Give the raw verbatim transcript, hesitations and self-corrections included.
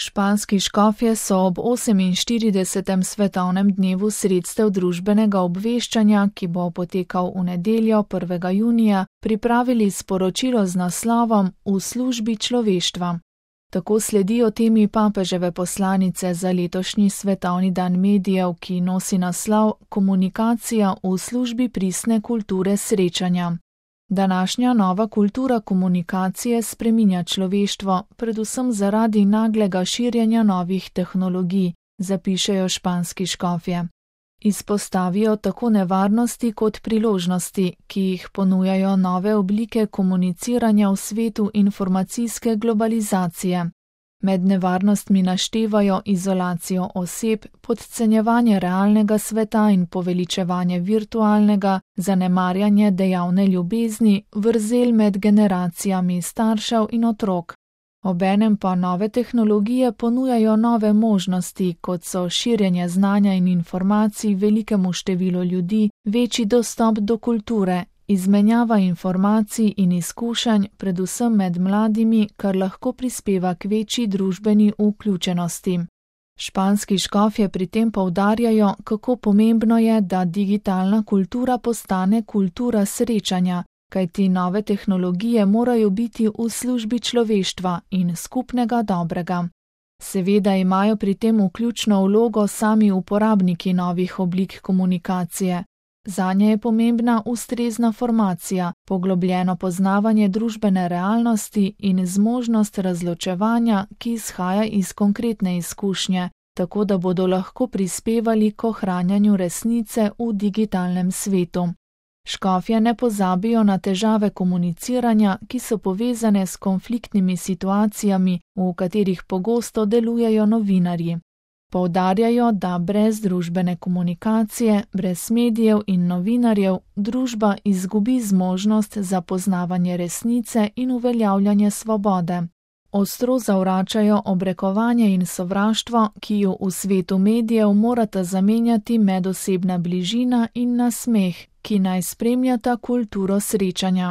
Španski škofje so ob oseminštiridesetem svetovnem dnevu sredstev družbenega obveščanja, ki bo potekal v nedeljo prvega junija, pripravili sporočilo z naslovom V službi človeštva. Tako sledijo temi papeževe poslanice za letošnji svetovni dan medijev, ki nosi naslov Komunikacija v službi pristne kulture srečanja. Današnja nova kultura komunikacije spreminja človeštvo, predvsem zaradi naglega širjenja novih tehnologij, zapišejo španski škofje. Izpostavijo tako nevarnosti kot priložnosti, ki jih ponujajo nove oblike komuniciranja v svetu informacijske globalizacije. Med nevarnostmi naštevajo izolacijo oseb, podcenjevanje realnega sveta in poveličevanje virtualnega, zanemarjanje dejavne ljubezni, vrzel med generacijami staršev in otrok. Obenem pa nove tehnologije ponujajo nove možnosti, kot so širjenje znanja in informacij velikemu številu ljudi, večji dostop do kulture, izmenjava informacij in izkušenj, predvsem med mladimi, kar lahko prispeva k večji družbeni vključenosti. Španski škofje pri tem poudarjajo, kako pomembno je, da digitalna kultura postane kultura srečanja, kajti nove tehnologije morajo biti v službi človeštva in skupnega dobrega. Seveda imajo pri tem vključno vlogo sami uporabniki novih oblik komunikacije. Zanje je pomembna ustrezna formacija, poglobljeno poznavanje družbene realnosti in zmožnost razločevanja, ki izhaja iz konkretne izkušnje, tako da bodo lahko prispevali k ohranjanju resnice v digitalnem svetu. Škofje ne pozabijo na težave komuniciranja, ki so povezane s konfliktnimi situacijami, v katerih pogosto delujejo novinarji. Poudarjajo, da brez družbene komunikacije, brez medijev in novinarjev, družba izgubi zmožnost za poznavanje resnice in uveljavljanje svobode. Ostro zavračajo obrekovanje in sovraštvo, ki ju v svetu medijev morata zamenjati medosebna bližina in nasmeh, ki naj spremljata kulturo srečanja.